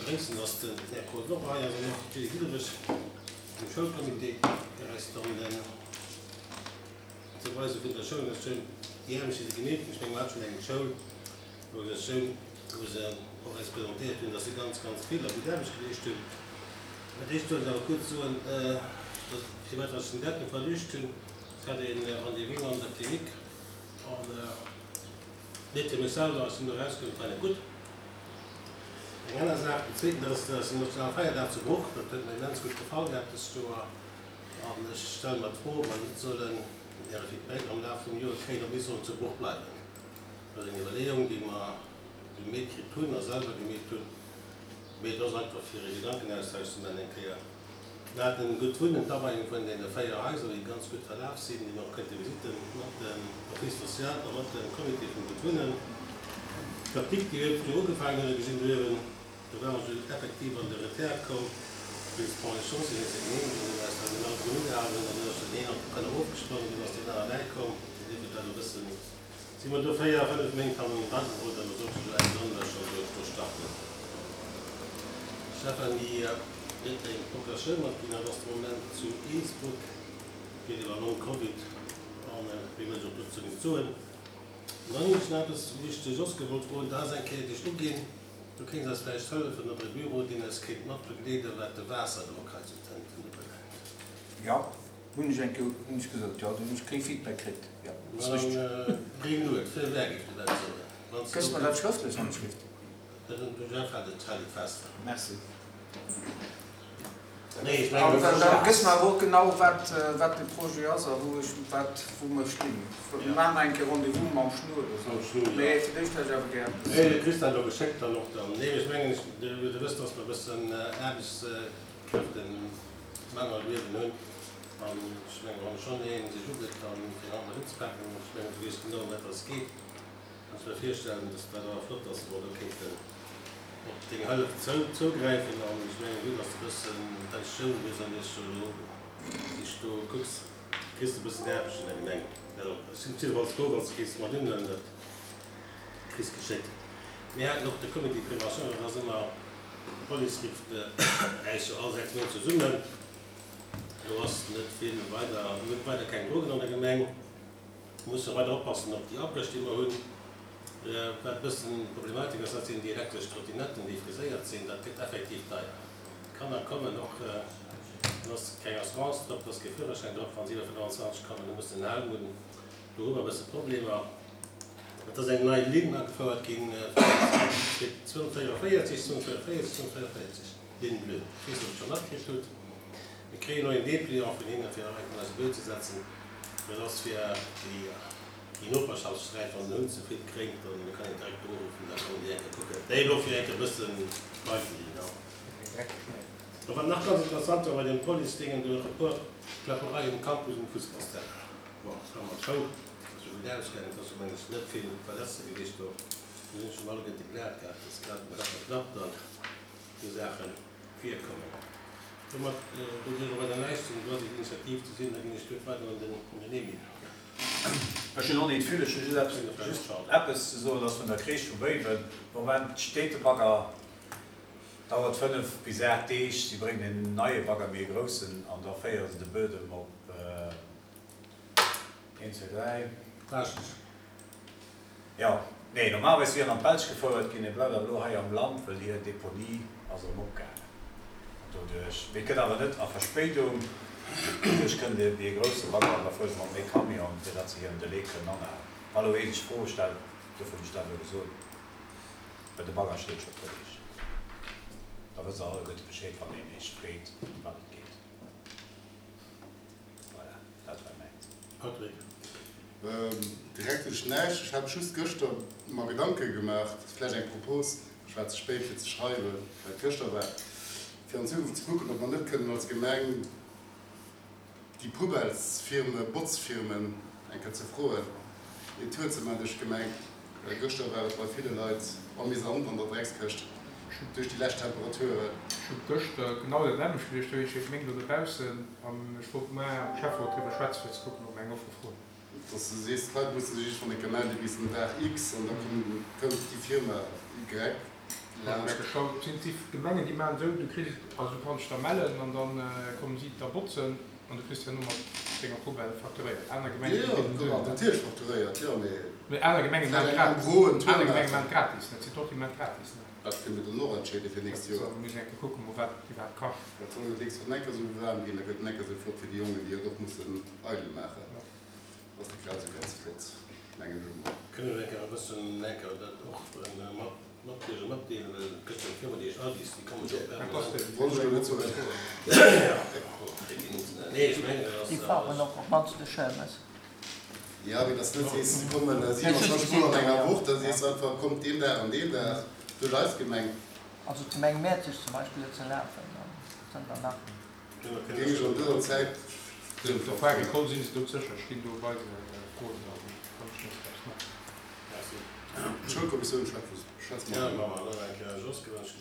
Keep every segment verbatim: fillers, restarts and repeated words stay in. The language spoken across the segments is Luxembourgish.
begréissen, dass den Här Claude och hei ass an och d'Julie Diderich vum Schoulcomité, déi eis dann den d'Weise vun der Schoulorganisatioun, déi Aarbecht, déi se gemeet hunn, ech menge mer hat schonn eng Schoul Organisatioun, wou se och eis presentéiert hunn, dass se ganz, ganz vill a gutt Aarbecht geleescht hunn. Mä d'éischt wollt ech awer kuerz soen, dass, firwat dass ech den Datum verluecht hunn, Ech hat ee Rendez-vous an der Klinik an net fir mech selwer, ech sinn do erauskomm, et war net gutt. Eng aner Saach, den zweeten, dat ass, dass den Nationalfeierdag zu Bruch, dat huet mer immens gutt gefall gehat dëst Joer an ech stelle mer d'Fro, ob mer net sollen Äre Feedback am Laf vum Joer kréien, ob mir sollen zu Bruch bleiwen. Dat ass eng Iwwerleeung, déi mer gemeet kritt hunn a selwer gemeet hunn, mee et ass einfach fir e Gedankenaustausch ze maachen eng Kéier. Mir haten gutt Wunnen, d'Aweiung vun deene véier Haiser, déi ganz gutt verlaf sinn, déi mer och kënnte visiten mat dem Office social a mat dem Comité vum Gutt Wunnen. D'Apdikt, déi huet jo ugefaangen, huet e gesinn do uewen, do ware se effektiv an de Retard komm wéinst Ponts et Chaussées, wéinst der Genehmegung, déi mer eis da genau drun ugehalen hunn. An dunn ass den een an d'Keller ofgesprongen, dunn ass deen aner bäikomm. Dir hutt dat e bëssen Si mer do véier, fënnef Méint hannendran geroden an da sollt sech elo Enn Januar scho do do starten. D'Stéphanie huet eng Procuratioun matginn, dat ass de Moment zu Innsbruck, geet iwwer Long-Covid an méi wëll ech och dozou net soen. An dann hunn ech nach eppes, wou ech de Jos gewollt froen, dat ass eng Kéier dech uginn, du kéints eis vläicht hëllefen oder e Büro, deen eis kéint mat begleeden, wat de Waasserdrock hei zu Tënten ubelaangt. Jo. Hunn ech eng Kéier, hunn ech gesot, jo, do hunn ech kee Feedback kritt, jo, ass richteg. Gréng Lued, feu vert géif de Ben soen, wann s de Këss mer dat schrëftlech an d'Schrift? Den Jeff hat et, hält et fest. Merci. Nee, ech mengen, An da gëss mer awer och genau, wat, wat de Projet ass a wou ech, wat, wou mer stinn. Mir maachen nach eng Kéier Rendez-vous mam Schnur oder Mam sou. Schnur, jo. Mee fir d'éischt hätt ech awer gär eppes. Nee, du kriss dat elo geschéckt dann och dann. Nee, ech mengen, du wëss, dass mer e bëssen Aarbechtskräfte Mangel uewen hunn. An ech mengen, wann schonn ee sech ugëtt, dann fir haut mat unzepaken, ech mengen, du weess genau, ëm wat dass et geet, kann ech mer virstellen, dass dat awer flott ass, wa mer do kéinten op deng Hëllef zougräifen. An ech mengen, vue dass de e bëssen Pensioun hues an iech jo elo sich do kucks, kriss de e bëssen Aarbecht an der Gemeng. Ech sinn jiddefalls frou, wann s de kéints mat unhuelen, dat kriss geschéckt. Mir haten och de Comité de prévention, dat ass ëmmer, d'Police rifft äis jo all sechs Méint zesummen. Do ass net vill weider, mir hunn weider keng Drogen an der Gemeng. Mir musse weider oppassen op déi Abréch, déi mer hunn. Wat e bëssen Problematik ass, dat sinn déi elektresch Trottinetten, déi friséiert sinn. Dat gëtt effektiv deier. D'Kanner kommen och, dann ass keng Assurance drop, da ass kee Führerschäin drop, wa se iwwer fënnwanzwanzeg kommen, da muss se en Helm hunn. Do hu mer e bësse Problemer. Et ass eng nei Linn agefouert ginn, zweehonnertvéierunvéierzeg, zweehonnertvéierunvéierzeg, zweehonnertvéierunvéierzeg, Ligne bleue. Ech weess net, ob Der et scho matkritt hutt. Mir kréien och een Dépliant vun hinnen, fir nach eng Kéier eise Buet ze setzen. Dat ass fir déi Noperschaftssträit, wann den Hund ze vill krénkt, dann kann een direkt do uruffen, da kommen déi eng Kéier kucken. Déi elo fir eng Kéier e bësse beigelinn. A wat nach ganz interessant war bei deem Police-Déngen, do e puer Kläppereien um Campus um Fussballsterrain. Bon, et war mat Show, ass jo gutt ausgaangen, et ass jo meng ech net vill Verletzte gewiescht do. Mir hunn schonn alleguerte glat gehat, dass grad nach knapp dann esou Saache virkommen. Domat do dierf och weider näischt sinn, do ass eng Initiativ ze sinn, da ginn ech d'Wuert weider un den Emile. Ech hunn och nit vill, ech hu just eppes, just eppes ze soen, ass vun der Kreesch vu Béiwen. De Moment steet de Bagger, dauert fënnef bis aacht Deeg, si bréngen en neie Bagger, méi e groussen, an da féiere se de Buedem op een, zwee, dräi. Baaschtnech. Jo, nee, normalerweis wier en an d'Belsch gefouert ginn, e bleift awer elo hei am Land, wëll hir Deponie ass erëm opgaangen. An doduerch, mee et gëtt awer net a Verspéidung, doduerch kënnt e méi e grousse Bagger an da fuere se mat méi Camionen, fir datt se hiren Delai kënnen anhalen. Wa elo ee sech Froe stellt, dofir hunn ech dat elo gesot, well de Bagger steet scho e puer Deeg, da wësst Der alleguerte Bescheed, wann een Iech freet, ëm wat et geet. Voilà, dat war mäins. Patrick. Direkt hunn ech näischt. Ech hat just gëschter mer Gedanke gemaach, dat ass vläicht eng Propos, ech war ze spéit fir ze schreiwen, well et gëschter war, fir an Zukunft ze kucken, ob mer net kënnen als Gemeng déi Poubellesfirme, Botzfirmen eng Kéier ze froen, een Tour ze maachen duerch d'Gemeng, well gëschter war et bei ville Leit amüsant an der Dreckskëscht duerch déi lescht Temperaturen. Ech hu gëschter genau dat nämmlecht geduecht, do heescht et méng do dobaussen an ech wollt muer am Schäfferot driwwer schwätzen, fir ze kucken, ob mer eng Offer froen. Dass de sees, d'Leit musse sech iergendwann eng Kéier mellen bis den Dag X an da kënnt déi Firma Y, Laanscht. Sinn déi Gemengen, déi maachen esou, du kriss, also du kanns dech da mellen an dann kommen si da botzen an du kriss herno mat denger Poubelle facturéiert. Aner Gemengen, déi Jo, ginn esou. natierlech facturéiert, jo, mee. Mee aner Gemengen maachen Vläicht eng gratis. en gros en Tour Aner Gemengen maachen. maachen gratis, dat sinn och déi maachen gratis, ne? Dat kënne mir dann och entscheede fir nächst Joer. Dat muss een eng Kéier kucken, mol wat iwwerhaapt kascht. Dat soll net nächst Joer enker esou waarm ginn, da gëtt en enker esou flott wéi déi Jongen, déi et och mussen eidel maachen. Ass dat grad esou ganz flott, mengen ech emol. Kënne mir enker e bëssen enker dat och mat matdeelen, matdeelen, well et gëtt jo eng Firma, déi heescht Aldis, déi kommen jo permanent. Wollt ech elo net soen. Nee, ech mengen, dat ass. Déi fahren och op d'mannst de Chaumes. Ja, mee dass net sees, se kommen siewenundzwanzeg Mol an enger Woch, da sees du einfach, kommt deen Dag an deen Dag duerch eis Gemeng. Also d'Gemeng Mäerzeg zum Beispill huet se lafen, an zënter nach. Géing ech an dëser Zäit Op der Foire Agricole sinn se dout sécher, stinn do bei de Froen, also kann ech näischt draus maachen. D'Schoulkommissioun schwätzt Ja, mat. maache mer nach eng Kéier. Jos, gewënscht.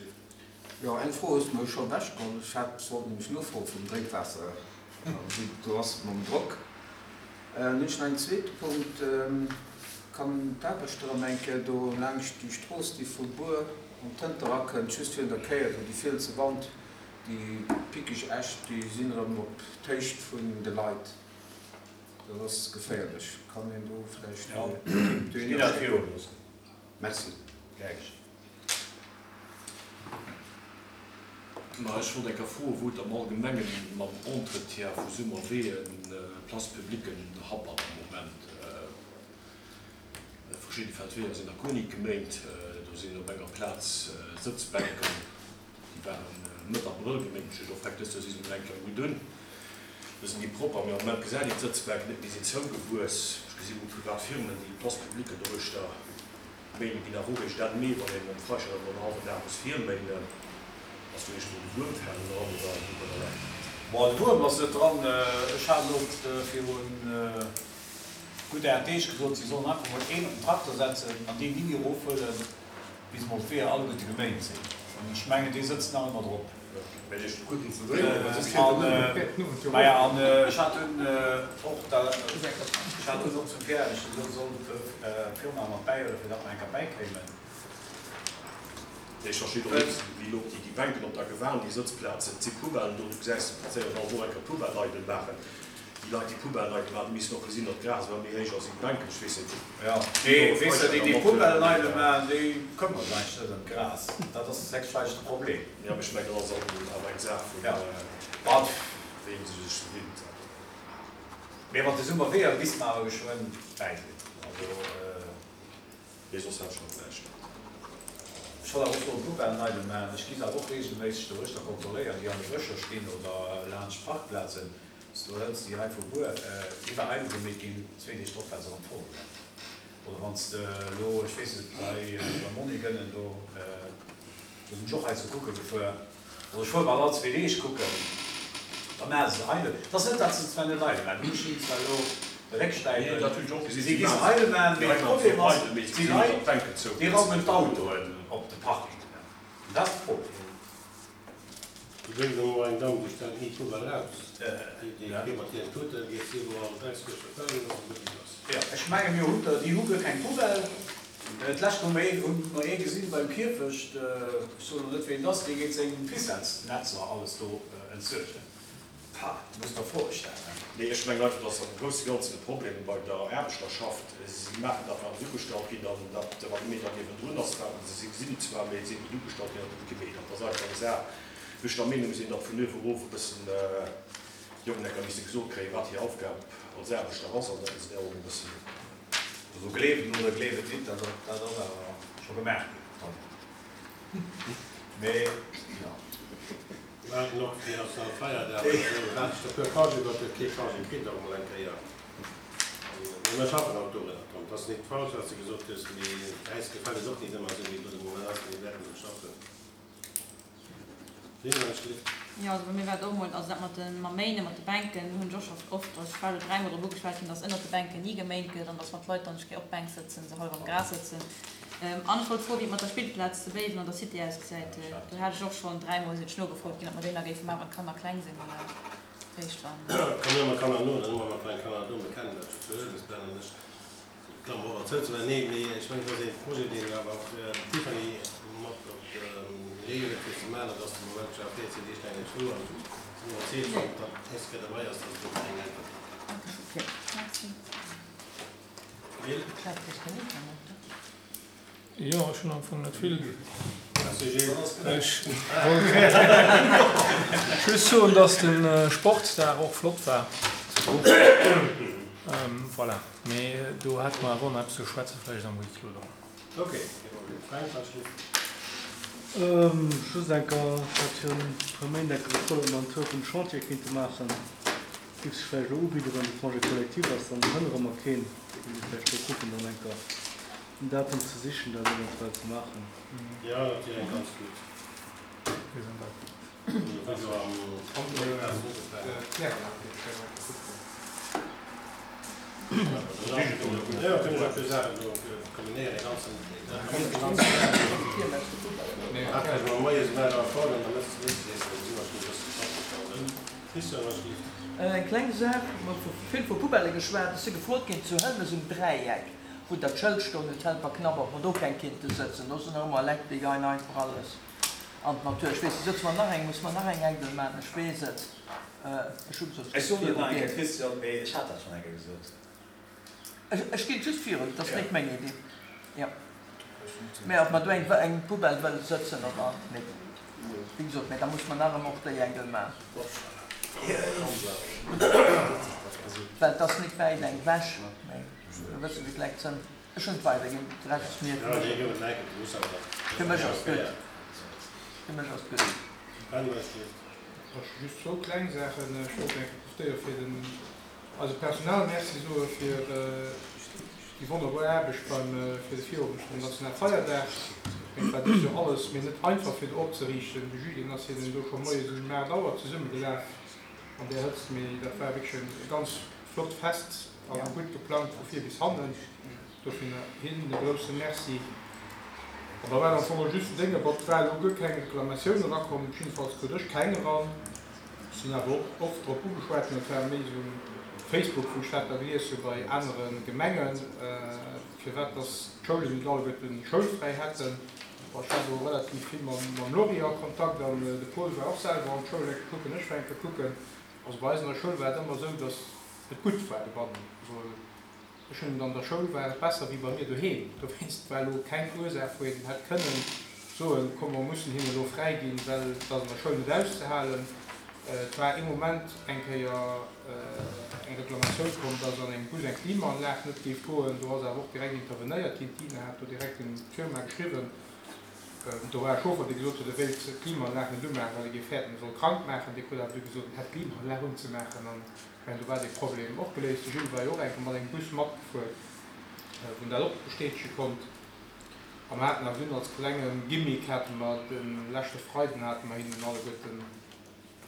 Jo, eng Fro hues de mer scho ewechgeholl. Ech hat, wollt nämlech nofroe vum Drénkwaasser, wéi et do ass mam Drock. Dann hunn ech nach en zweete Punkt. Kann d'Aarbechter erëm eng Kéier do laangscht déi Strooss, déi vu Bur an d'Hënter erakënnt, just virun der Kéier, do déi fielse Wand, déi pickeg Äscht, déi sinn erëm op d'Héicht vun de Leit. Dat ass geféierlech. Kann een do vläicht Jo, eng Equipe ech ginn dat dohinner schécken? virun loossen. Merci. Gär geschéngt. Ma ech wollt eng Kéier froen, wou et am Allgemengen mam Entretien vu Summerweeën, Places publiquen happert am Moment. Verschidde Feldweeër sinn nach guer nit geméint. Do sinn op enger Plaz Sëtzbänken, déi waren Mëtt Abrëll geméint. Ech hunn och direkt dëst Joer si se mol eng Kéier gutt un. Do sinn déi propper, mee am Moment gesäit een d'Sëtzbänken net méi, sinn zougewuess. Ech gesi wou privat Firmen, déi Places publiquen doruechter méinen, ginn awer och eréischt Enn Mee, wann een mam Freischert an en hallwen Dag muss virméinen. Ass do iergendwou de Wuerm falen dran oder wou der läit? Bon, de Wuerm ass net dran. Ech hat elo virun gutt aacht Deeg gesot, si sollen einfach mol een op den Trakter setzen an deen ni méi erofhuelen, bis mol d'Weeër alleguerte geméint sinn. An ech mengen, dee sëtzt nach ëmmer drop. Maja, an ech hat dunn och da, ech hat dunn och zum Pierre gesot, soll d'Firma mat bäihuelen, fir datt mer eng Kéier bäikéimen. Nee, ech verstinn och net, wéi elo déi Bänken op der Gewan, déi Sëtzplazen, et si Poubellen do, du gesäis, se passéieren all Woch eng Kéier Poubelle eidel maachen. Déi Leit, déi Poubellen eidel maachen, déi missten och gesinn, datt d'Gras ëmmer méi héich ass wéi d'Bänken. Ech weess net, Jo, mee weess de, déi, déi Poubellen eidel maachen, déi këmmere sech eigentlech net ëm d'Gras. Dat ass héchstwahrscheinlech de Problem. Jo, mee ech mengen, dat ass awer eng Saach vun, wéi ee se sech gewinnt. Mee mat de Summerweeër misste mer awer geschwënn bäi sinn. Also. Mee soss hat ech nach näischt. Ech wollt awer och soen, Poubellen eidel maachen. Ech gi se awer och reegelméisseg doruechter kontrolléieren, déi an de Bëscher stinn oder laanscht Parkplazen. S, Du hëls déi hei vu Bur, déi war eidel gemeet ginn, zwee Deeg drop war se erëm voll. Oder wann s de elo, ech weess net, bei beim Monni Gënnen do, do sinn ech och heiansdo kucke gefuer, also ech fuer bal all zwee Deeg kucken, da maache se se eidel. Et ass net, datt se zwar net eidel maachen, ech hunn zwar elo de Nee, Réckstäipen, dat hunn ech och gesinn, si si gi se maachen eidel maachen, déi mee de Leit maachen se Problem och ass, eidel, mee se déi gesinn net, Leit, datt d'Bänken déi zougewuess raumen sinn. d'Autoen op de Parking. An dat ass de Problem. Do gëtt et emol eng Damm, déi stellt ni d'Poubelle raus. Déi, déi geet mat hiren Tuten, geet si wou all Dreckskëscht erfëllen, ass e gutt lass. Jo, ech menge mir hunn der, déi hu guer keng Poubelle. D'lescht hu mer ee, hu mer ee gesinn beim Kierfecht, ech soen elo net ween et ass, dee geet seng Ficellesnetzer alles do entsuergen. Pah, du muss der Froe stellen. Nee, ech mengen einfach, dass am grousse Ganzen de Problem bei der Aarbechterschaft, si maachen dat, wat se ugestallt ginn, an dat, wat e Meter niewendrun ass, wat se gesinn zwar, mee et sinn net ugestallt ginn, dat gëtt gemeet. Dat ass einfach eng Saach, wou ech der Meenung sinn, datt vun uewe erof e bëssen d'Jongen enker misse gesot kréien, wat hir Aufgab als Aarbechter ass, an datt se där och e bëssen. Also gleeft et oder gleeft et nit, dat ass awer scho gemaach ginn, Tom. Mee jo. Waarden och fir ass dann Feierdag an esou waart ech der puer Congé, datt et kee Congé kritt och emol eng Kéier. Mee mer schaffen haut dorunner, Tom. Et ass nit falsch wat s de gesot hues, mee äis gefält et och nit ëmmer esou wéi et elo de Moment ass, mee mir wäerten drun schaffen. Lynn, wann ech gelift. Jo, also bei mir war et och emol, also dat mat de mam Méinen, mat de Bänken, hunn ech och scho oft, also ech war elo dräimol drop ugeschwat ginn, dass ënnert de Bänken ni geméint gëtt an dass wann d'Leit dann ech géi op d'Bänk sëtzen, se hallef am Gras sëtzen. An ech wollt froen, wéi et mat der Spillplaz zu Béiwen an der Cité ausgesäit. Do hat ech och schonn dräimol sinn ech nogefrot ginn, ob mer déi nach géife maachen, wann d'Kanner kleng sinn oder réischt wann. Kommen ëmmer Kanner no, dann hu mer ëmmer kleng Kanner do. Mir kennen dat jo zu Huelmes, Ben an ech. Klammer op, erzëlt ze maachen. Nee, mee ech mengen, dat ass ee Projet, deen awer och d'Tiffany mat op gemaach, dat ass de Moment scho véierzéng Deeg laang net zou an si hunn erzielt, wann dat d'nächst Kéier derbei ass, dass et do keng Äntwert gëtt. Okay, merci. Gilles? Jo, ech hunn am Fong net vill. Merci Gilles. Ech wollt just soen, dass de Sportsdag och flott war. Voilà, mee do hätte mer awer och nach eppes ze schwätzen, vläicht am Huis clos dann. Ok, kee Problem. Fränk, wat schléit? Just eng Kéier, ech hat virun e puer Méint eng Kéier gefrot, ob mer en Tour vum Chantier kéinte maachen. Géif sech vläicht elo ubidden, wann de Congé collectif ass, dann hënnere mer keen. Da kéint ee vläicht do kucken, dann eng Kéier en Datum ze sichen, dat eventuell ze maachen. Jo, dat wier eng ganz gutt. Eng kleng Saach, mer hu vill vu Poubellë geschwat. Ech si gefrot ginn zu Hëlmes um Dräieck, wou dat Schëld stoung, Hotel Parknapp, ob mer do keng kinnte sëtzen. Do sinn nach ëmmer Leit, déi geien einfach alles an d'Natur. Ech weess, sëtze mer nach eng, musse mer nach eng Engel maachen, ech weess et. Ech hu gesot, Ech soen et nach eng Kéier, Christian, mee ech hat dat schonn eng Kéier gesot. Ech ginn et just virun, et ass net meng Iddi. Jo. Mä ob mer do eng eng Poubelle wëlle sëtzen oder net, wéi gesot, mä da musse mer nach ëmmer och déi Engel maachen. Well et ass net wäit eng wech, mä e bësse wéi d'Leit sënn. Ech hunn et weiderginn, de Rescht ass mir fir mech ass et gutt. Fir mech ass et gutt. Ech hu just zwou kleng Saachen. Ech wollt eng Kéier profitéiere fir den eisem Personal Merci soe fir déi wonnerbar Aarbecht beim fir de Virowend vum Nationalfeierdag. Ech mengen, et war dëst Joer alles méi net einfach fir do opzeriichten. De Julien ass hinnen do scho moies um aacht Auer zesummegelaf an där Hëtzt, mee dat war wierklech e ganz flott Fest a gutt geplangt vu vir bis hannen. Dofir hinnen e grousse Merci. An da war am Fong och just den Dénge, bon, et war elo guer keng Reklamatioun erakomm, jiddefalls krut ech keng eran. Ech sinn awer och oft drop ugeschwat ginn, dat war méi esou um Facebook, wou ech dat da gelies hu bei anere Gemengen, firwat dass d'Schoulen net alleguerten schoulfräi hätten. Bon, ech war do relativ vill mam Lory a Kontakt an de Paul war och selwer an d'Schoul eng Kéier kucken, ech war eng Kéier kucken. Also bei eis an der Schoul war et ëmmer esou, dass et gutt war dobannen. Also ech hunn et an der Schoul war et besser wéi bei mir doheem. Dowéinst war elo keng Ursaach, wou een hätt kënnen soen, komm mer mussen hinnen elo fräi ginn, well et ass an der Schoul net auszehalen. Et war ee Moment eng Kéier eng Reklamatioun komm, dass an engem Bus eng Klimaanlag net géif goen. Do ass awer och direkt intervenéiert ginn. D'Ina hat do direkt un d'Firma geschriwwen. Do war e Chauffer, dee gesot huet, e wéilt d'Klimaanlag net umaachen, well e géif fäerten, e soll krank maachen. Dee krut awer du gesot, en hätt d'Klimaanlag unzemaachen. An ech mengen, do war dee Problem och geléist. De Gilles war jo och eng Kéier mat engem Bus matgefuer, wou en dat och bestätege konnt. A mer haten awer dunn als klenge Gimmick hate mer de leschte Freiden hate mer hinnen alleguerten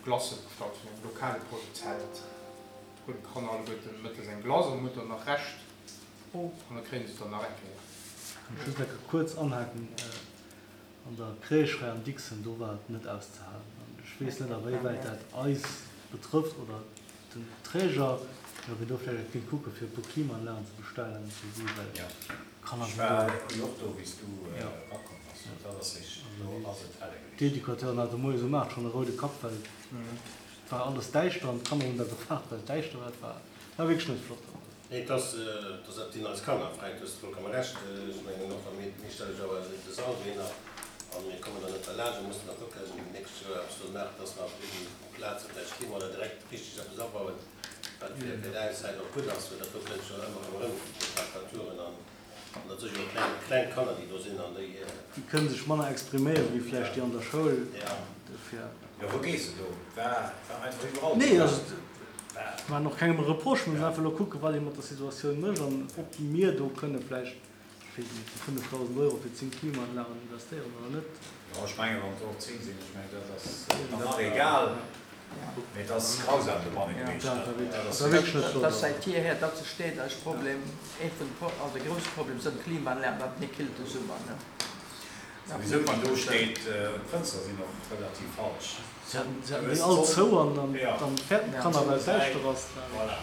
Glacë bestallt vun engem lokale Produzent. Do kruten d'Kanner alleguerten mëttes eng Glace an huet dann nach Rescht an da kréien se et dann nach eng Kéier. Kann ech just eng Kéier kuerz anhaken, An der Crèche hei am Dixon, do war et net auszehalen. An ech weess net, a wéiwäit dat eis betrëfft oder den Träger, mee ob een do vläicht kéint kucken, fir e puer Klimaanlagen ze bestellen fir si, well d'Kanner Ech sinn war do. jo och do, wéi s du Jo. erakomm bass. Dat ass richteg, do ass et helle gewiescht. D'Educateuren hate moies um aacht schonn e roude Kapp, well et war alles däischter an d'Kanner hunn da gefaart, well et däischter war. Et war, war wierklech net flott. Nee, et ass, et ass, dat sinn eis Kanner, Fränk, du hues vollkomme Recht. Ech mengen och, wa mir, mir stelle jo awer de Sall dohinner a mir kommen dann net derlaanscht, mir mussen da kucken, d'nächst Joer eppes do maachen, dass mer op deenen Plaze vläicht Klima oder direkt richteg eppes abauen, wat fir fir d'Äiszäit och gutt ass, well dat do kënnt jo ëmmer erëm erëm, déi Temperaturen an an dat si jo kleng, kleng Kanner, déi do sinn an déi. Déi kënne sech manner expriméieren, wéi vläicht déi an der Schoul. Dofir. Jo, wou gees de do? War, war einfach iwwerall Nee, do. also ech maachen och kengem e Reproche, mir mussen einfach elo kucken, wat ee mat der Situatioun mécht an ob mir do kënne vläicht, ech weess net, déi fënnefdausend Euro fir zéng Klimaanlagen investéieren oder net. Jo, ech mengen, wann et och zéng sinn, ech mengen, dat ass dann nach egal, mee et ass grausam dobanne gewiescht, dat ass Dat war wierklech net flott. Dat ass säit jeher, dat steet als Problem, ee vun de, also e grousse Problem sënn d'Klimaanlagen, wat méi killt de Summer, ne. Souwisou, wann do steet, d'Fënster sinn och relativ falsch. Se haten déi all zou an dann fäerten d'Kanner, well et däischter ass. Voilà.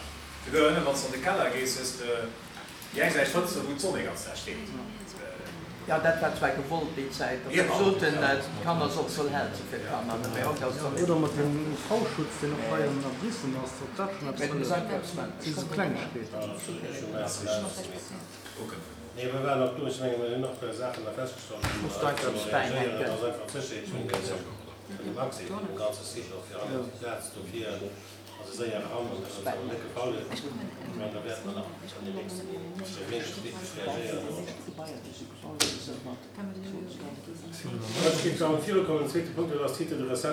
Souguer ënnen, wann s de an de Keller gees, hues de déi eng Säit Fënster, wou d'Sonn dee ganzen Dag steet. Jo, dat war zwar gewollt déi Zäit, datt se soten, d'Kanner sollt soll hell si fir d'Kanner, mee haut ass et. Oder mat dem U V-Schutz, deen och hei an Abrissen ass, ob dat schonn eppes hëlleft. Dat si sou Klengegkeeten. Nee, mir waren och do, ech menge mir hunn och Saachen da festgestallt, wou Muss mer d'Leit eppes reagéieren. bäihänken. Dat ass einfach d'Sécherheet vun dem Accès vun dem ganze Site och fir an déi Plaz dofir. Also séier eran, an dat ass awer net gefall. Ech mengen, da wäerte mer nach an den nächsten Méint wierklech reagéieren. Ech géif dann virukommen, den zweete Punkt, dat ass d'Titre de recette.